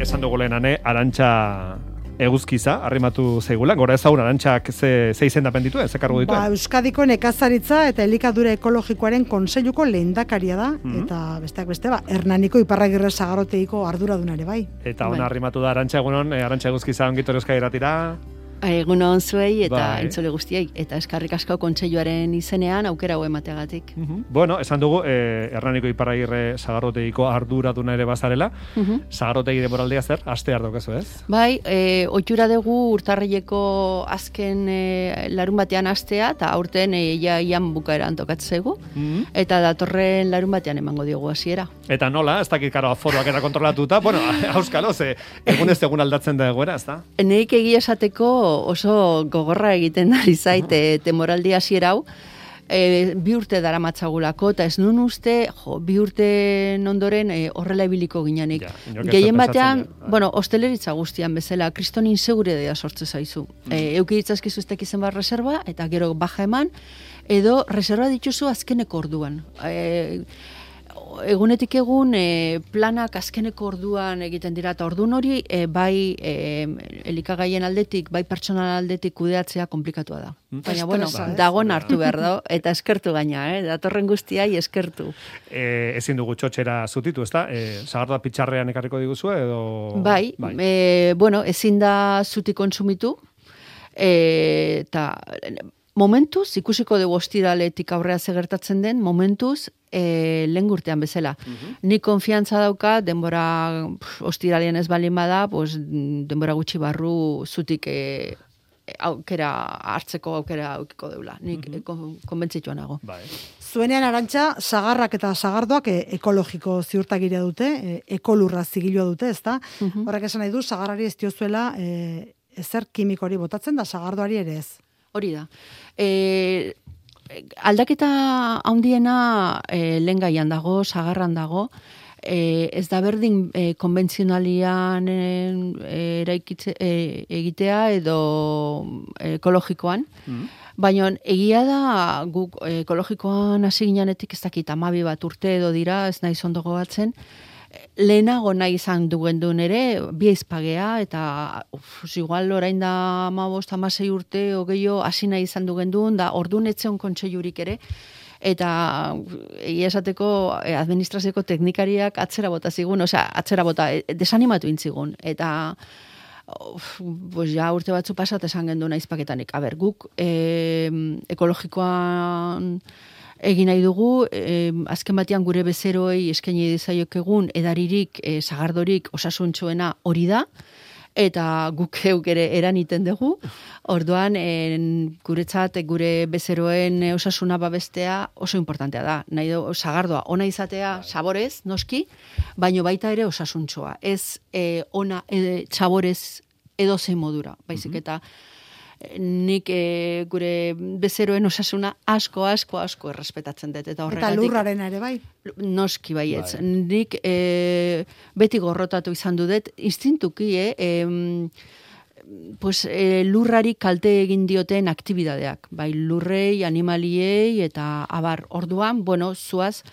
esan dugu lehenane, Arantxa eguzkiza, arrimatu zeigula, gora ezagun Arantxak ze izendapen dituen, ze kargu dituen? Euskadiko nekazaritza eta elikadura ekologikoaren kontseiluko lehendakaria da, eta besteak beste, Hernaniko Iparragirre Sagardotegiko arduradunare bai. Eta ona arrimatu da Arantxa, egunon, Arantxa eguzkiza ongitor Euskadi Irratira. Egunon zuei eta entzule guztiei, eta eskarrik asko kontseiluaren izenean aukera hau emateagatik. Bueno, esan dugu, Hernaniko Iparragirre Sagardotegiko arduraduna ere bazarela, Sagardotegi denboraldia zer, aste daukazu, ez? Bai, ohitura dugu urtarrileko azken larun batean astea, eta aurten ian bukaeran tokatzen zaigu, eta datorren larun batean emango diogu hasiera. Eta nola, ez dakit karo aforoak eta kontrolatuta, bueno, auskalo, egun ez egun aldatzen da egoera, ez da? Neik egia esateko oso gogorra egiten ari zaite temoraldi hasiera hau, bi urte daramatzagulako, eta ez nun uste, bi urte ondoren horrela ibiliko ginenik. Gehien batean, hosteleritza guztian bezala, kriston inseguridadea sortze zaizu. Euki ditzazkizu ez tekizen bat reserva, eta gero baja eman, edo reserva dituzu azkeneko orduan. Egunetik egun planak azkeneko orduan egiten dira, eta ordun hori bai elikagaien aldetik, bai pertsonal aldetik kudeatzea komplikatua da. Baina, dagoen hartu behar da, eta eskertu gaina, datorren guztiai eskertu. Ezin dugu txotxera zutitu, ez da? Sagardoa pitxarrean ekarriko diguzue, edo... Bai, ezin da zuti kontsumitu, eta... Momentuz, ikusiko dugu ostiraletik aurrea gertatzen den, momentuz, lehen urtean bezala. Nik konfiantza dauka, denbora ostiralean ez balin bada, denbora gutxi barru zutik aukera hartzeko aukera aukiko deula. Nik konbentzituan nago. Zuenean Arantxa, sagarrak eta sagardoak ekologiko ziurtagiria dute, ekolurra zigilua dute, ezta? Horrek esan nahi du, sagarrari ez diozuela ezer kimikori botatzen da, sagardoari ere ez. Hori da. Aldaketa handiena lehen gaian dago, sagarran dago, ez da berdin konbentzionalian egitea edo ekologikoan, baina egia da guk ekologikoan hasi ginenetik ez dakit 12 bat urte edo dira, ez naiz ondo gogatzen, lehenago nahi izan duen duen ere, bi aizpagea, eta igual orain da 15-16 urte, ogeio hasi nahi izan duen duen, da orduan etzeon kontseilurik ere, eta egia esateko administrazioko teknikariak atzera bota zigun, atzera bota, desanimatu intzigun, eta urte batzu pasat esan genduen aizpaketanik. Guk ekologikoan egin nahi dugu, azken batean gure bezeroei eskaini dizaiok egun edaririk, sagardorik osasuntxoena hori da, eta guk euk ere eraniten dugu. Orduan, guretzat, gure bezeroen osasuna babestea oso importantea da. Nahi du, sagardoa ona izatea saborez, noski, baino baita ere osasuntxoa. Ez ona saborez edozein modura, baizik eta nik gure bezeroen osasuna asko errespetatzen dut. Eta lurraren ere bai? Noski baietz. Nik beti gorrotatu izan dut, instintuki, lurrari kalte egin dioten aktibidadeak. Bai lurrei, animaliei, eta abar orduan, zuaz,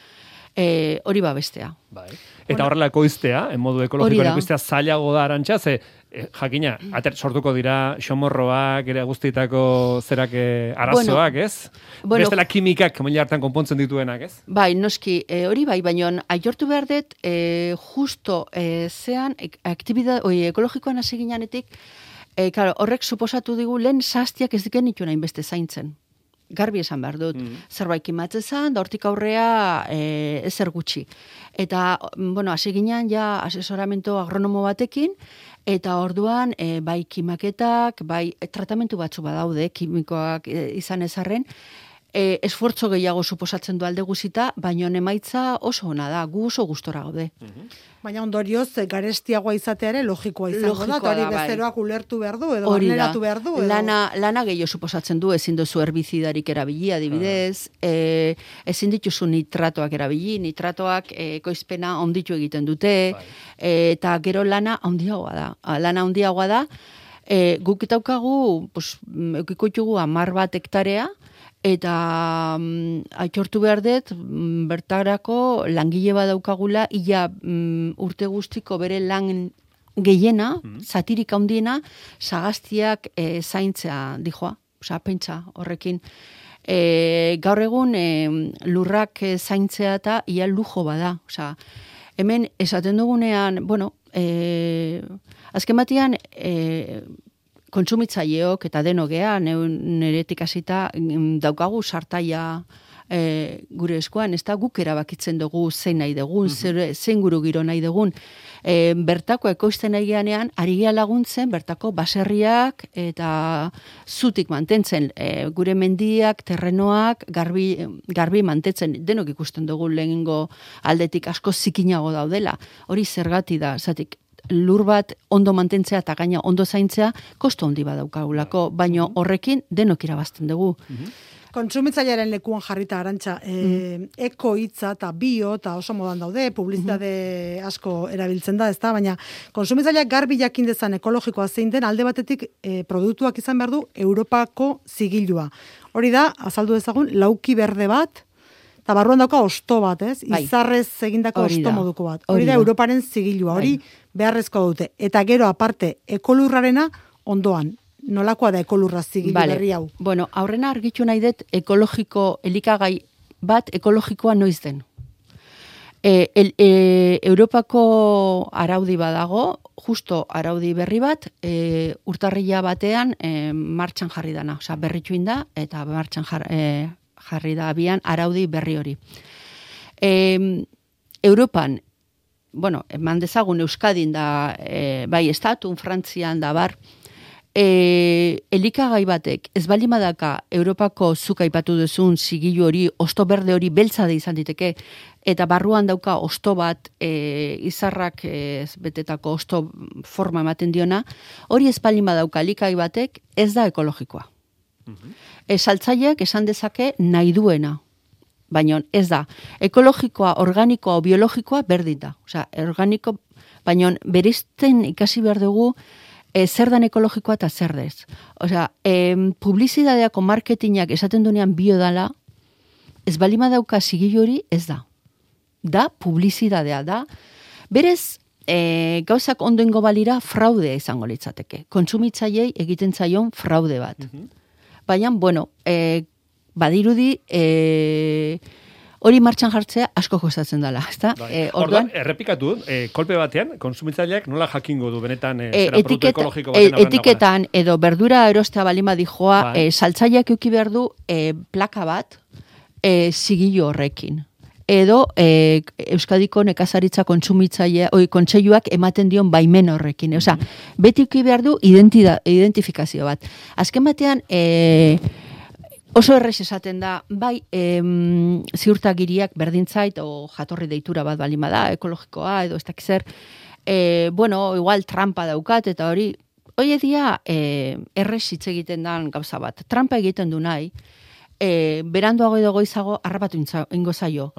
hori babestea. Eta horrela ekoiztea, en modu ekologikoan ekoiztea zailago da Arantxa, jakina, sortuko dira xomorroak, ere guztietako zerak arazoak, ez? Bestela kimikak, mila hartan konpontzen dituenak, ez? Bai, noski, hori bai, baina aitortu behar dut, justo zean, ekologikoan hasi ginenetik, horrek suposatu digu, lehen zaztiak ez diken nitu nahin beste zaintzen. Garbi esan behar dut. Zerbait kimatzen zen, da hortik aurrea ezer gutxi. Eta, hasi ginean ja asesoramento agronomo batekin, eta orduan bai kimaketak, bai tratamentu batzu badaude, kimikoak izan ezarren, esfortzo gehiago suposatzen du alde guzita, baina emaitza oso ona da, gu oso gustora gaude. Baina ondorioz, garestiagoa izateare logikoa izango da, eta hori bezeroak ulertu behar du, edo barneratu behar du. Lana gehiago suposatzen du, ezin duzu herbizidarik erabili, adibidez, ezin dituzu nitratoak erabili, nitratoak ekoizpena onditu egiten dute, eta gero lana handiagoa da. Lana handiagoa da, guk daukagu, eukiko ditugu 10 bat hektarea, eta aitortu behar dut, bertarako langile bat daukagula, ia urte guztiko bere lan gehiena, zatirik handiena, sagaztiak zaintzea dijoa, pentsa horrekin. Gaur egun lurrak zaintzea eta ia lujo bada, hemen esaten dugunean, azken batean, kontsumitzaileok eta denogea, neretik hasita daukagu sartaia gure eskuan, ez da guk erabakitzen dugu zein nahi dugun, zein guru giro nahi dugun. Bertako ekoizten nahi geanean, ari gea laguntzen, bertako baserriak eta zutik mantentzen, gure mendiak, terrenoak, garbi mantentzen, denok ikusten dugu lehenengo aldetik asko zikinago daudela. Hori zergati da, zatik, lur bat ondo mantentzea eta gaina ondo zaintzea, kosto handi badaukagulako, baino horrekin denok irabazten dugu. Kontsumitzailearen lekuan jarrita Arantxa, eko hitza eta bio eta oso modan daude, publizitate asko erabiltzen da, ezta, baina kontsumitzaileak garbi jakin dezan ekologikoa zein den alde batetik produktuak izan behar du Europako zigilua. Hori da, azaldu dezagun, lauki berde bat, eta barruan dauka osto bat, ez? Izarrez egindako osto moduko bat. Hori da Europaren zigilua, hori beharrezko dute. Eta gero aparte, ekolurrarena ondoan. Nolakoa da ekolurra zigilu berri hau? Bueno, aurrena argitu nahi dut ekologiko elikagai bat ekologikoa noiz den. Europako araudi badago, justo araudi berri bat, urtarrila batean martxan jarri dana, berrituin da, eta martxan jarri da abian araudi berri hori. Europan, eman dezagun Euskadin da, bai estatun, Frantzian da bar, elikagai batek ez baldin badaka Europako zuk aipatu duzun zigilu hori, osto berde hori beltza da izan diteke, eta barruan dauka osto bat izarrak betetako osto forma ematen diona, hori ez baldin badauka elikagai batek ez da ekologikoa. Saltzaileak esan dezake nahi duena, baina ez da. Ekologikoa, organikoa o biologikoa berdin da. Organiko, baina bereizten ikasi behar dugu zer dan ekologikoa eta zer dez. Publizidadeako marketingak esaten duenean bio dala, ez balima dauka zigilu hori ez da. Da, publizidadea da. Berez, gauzak ondoengo balira fraudea izango litzateke. Kontsumitzailei egiten zaion fraude bat. Baina, badirudi hori martxan jartzea asko kostatzen dela, ezta? Orduan, errepikatu, kolpe batean, kontsumitzaileak nola jakingo du benetan produktu ekologiko baten aurren etiketan edo berdura erostea balima dijoa, saltzaileak euki behar du plaka bat zigilu horrekin. Edo Euskadiko nekazaritza kontseiluak ematen dion baimen horrekin. Beti euki behar du identifikazio bat. Azken batean, oso errez esaten da, bai, ziurtagiriak berdintzait, o jatorri deitura bat balima da, ekologikoa, edo ez dakizer, igual trampa daukat, eta hori dia, errez hitz egiten dan gauza bat. Trampa egiten du nahi, beranduago edo goizago harrapatu ingo zaio.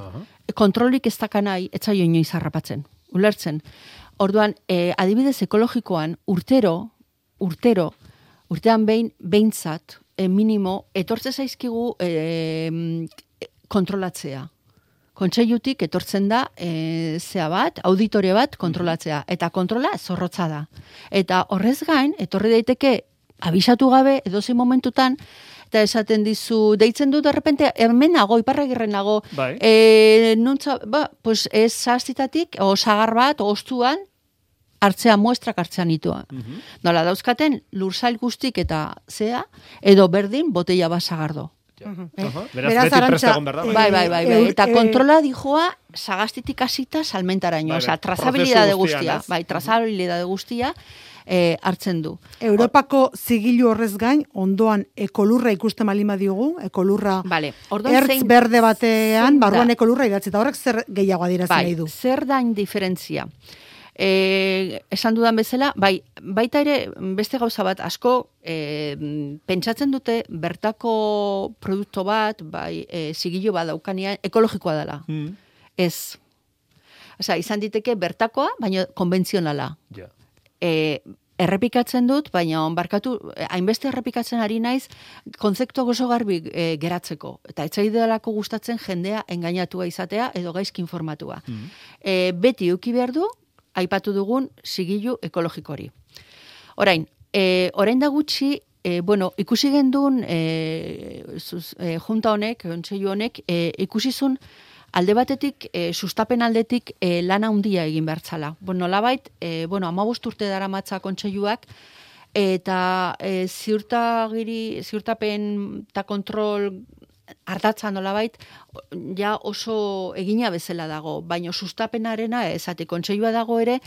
Kontrolik ez daka nahi, ez zaio inoiz harrapatzen, ulertzen. Orduan, adibidez ekologikoan, urtean behintzat, minimo, etortze zaizkigu kontrolatzea. Kontseilutik etortzen da zea bat, auditorio bat kontrolatzea. Eta kontrola zorrotza da. Eta horrez gain, etorri daiteke abisatu gabe, edozein momentutan, eta esaten dizu, deitzen du derrepente, hemen nago, iparragirren nago, pues ez zaztitatik, o sagar bat, ostuan, hartzea muestrak hartzean nitua. Nola dauzkaten, lursail guztik eta zea, edo berdin, botella bat sagardo. Beraz, beti prestagon berda. Bai. Eta kontrola dijoa, sagastitik hasita salmentaraino. Trazabilidade guztia. Bai, trazabilidade guztia hartzen du. Europako zigilu horrez gain, ondoan ekolurra ikusten balima diogu, ekolurra ertz berde batean, barruan ekolurra idatzi, eta horrek zer gehiago adierazten nahi du. Zer da indiferentzia? Esan dudan bezala, baita ere beste gauza bat asko pentsatzen dute bertako produktu bat, zigilu bat daukanean ekologikoa dela. Ez. Izan diteke bertakoa, baina konbentzionala. Errepikatzen dut, baina barkatu, hainbeste errepikatzen ari naiz, konzeptu oso garbi geratzeko. Eta etzaidalako gustatzen jendea engainatua izatea edo gaizki informatua. Beti euki behar du, aipatu dugun zigilu ekologikori. Orain da gutxi, ikusi gendun junta honek, kontseilu honek, ikusizun alde batetik, sustapen aldetik lana handia egin bertzala. Nolabait, 15 urte daramatza kontseiluak, eta ziurtapen eta kontrol ardatza nolabait, ja oso egina bezala dago, baina sustapenarena ezate kontseilua dago ere,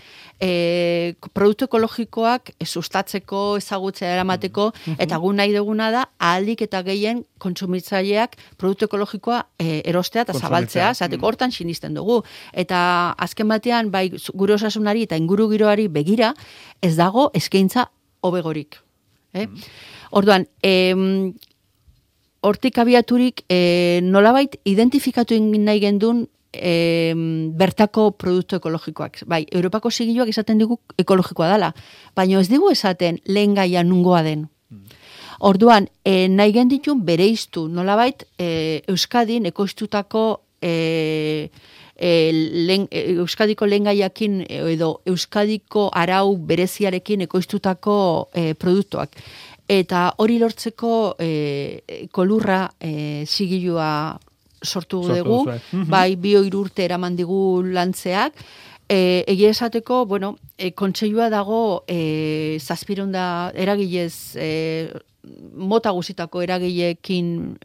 produktu ekologikoak sustatzeko, ezagutzea eramateko, eta gu nahi duguna da, ahaldik eta gehien kontsumitzaileak produktu ekologikoa erostea eta zabaltzea, zateko hortan sinisten dugu. Eta azken batean, bai gure osasunari eta inguru giroari begira, ez dago eskaintza hobegorik. Orduan, hortik abiaturik nolabait identifikatu nahi gendun bertako produktu ekologikoak. Bai, Europako zigiluak esaten digu ekologikoa dela, baina ez digu esaten lehen gaia nungoa den. Orduan, nahi genditun bereiztu nolabait Euskadin ekoiztutako Euskadiko lehengaiakin edo Euskadiko arau bereziarekin ekoiztutako produktuak. Eta hori lortzeko kolurra zigilua sortu dugu, bai 2 urte eraman digu lantzeak, egia esateko, kontseilua dago 700 eragilez, mota guzitako eragileekin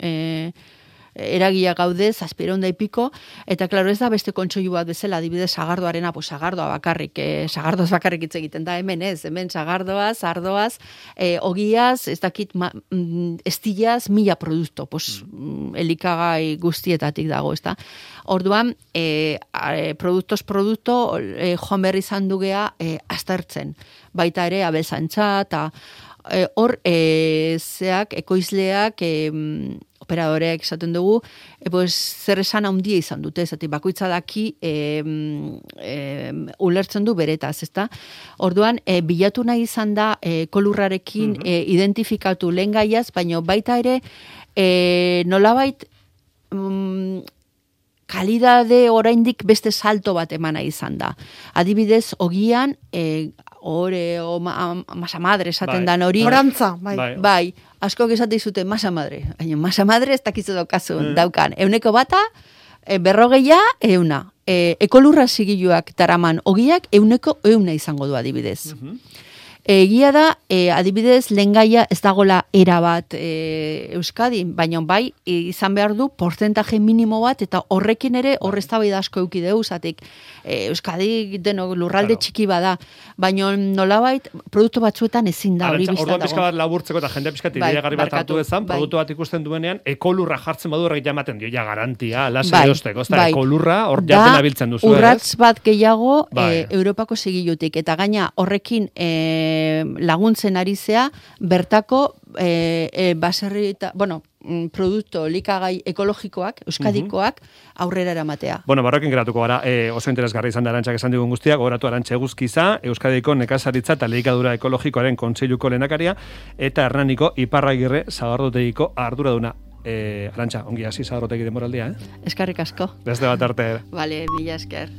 eragia gaude, 700 y pico, eta klaro ez da beste kontseilu bat bezala, adibidez sagardoarena, sagardoa bakarrik, sagardoaz bakarrik hitz egiten da, hemen sagardoaz, ardoaz, ogiaz, ez dakit, estillaz, 1000 produktu, elikagai guztietatik dago, ez da. Orduan, produktu, joan berri izan dugea aztertzen, baita ere abelzantza, eta hor, ekoizleak, operadoreak esaten dugu, zer esan handia izan dute, bakoitza daki ulertzen du beretaz, ezta? Orduan, bilatu nahi izan da kolurrarekin identifikatu lehen gaiaz, baina baita ere nolabait kalidade oraindik beste salto bat emana izan da. Adibidez, ogian, masa madre esaten dan hori. Orantza, bai. Askok esate izute masa madre. Baina masa madre ez dakizu daukan. 100 berrogeia, 100. Ekolurra zigiluak daraman ogiak 100 izango du adibidez. Egia da, adibidez, lehengaia ez dagola erabat Euskadin, baina bai, izan behar du porcentaje minimo bat, eta horrekin ere horreztabaida asko euki dugu, zatik Euskadi lurralde txiki bada, baina nolabait produktu batzuetan ezin da hori biztan dago. Orduan pixka bat laburtzeko eta jendea pixka ideiagarri bat hartu dezan, produktu bat ikusten duenean, ekolurra jartzen badu horrek jamaten dio, garantia, lasa erosteko, ez da, ekolurra hor jaten abiltzen duzu. Urratz bat gehiago Europako zigilutik, eta gaina horrekin laguntzen ari zea, bertako baserri eta, produktu likagai ekologikoak, euskadikoak, aurrera eramatea. Barrokin geratuko gara, oso interesgarri izan da Arantxak esan digun guztiak, gogoratu Arantxa Eguzkiza, Euskadiko nekazaritza eta elikadura ekologikoaren kontseiluko lehendakaria, eta Hernaniko Iparragirre sagardotegiko arduraduna. Arantxa, ongi hasi sagardotegiko denboraldia, Eskerrik asko. Beste bat arte. Vale, mila esker.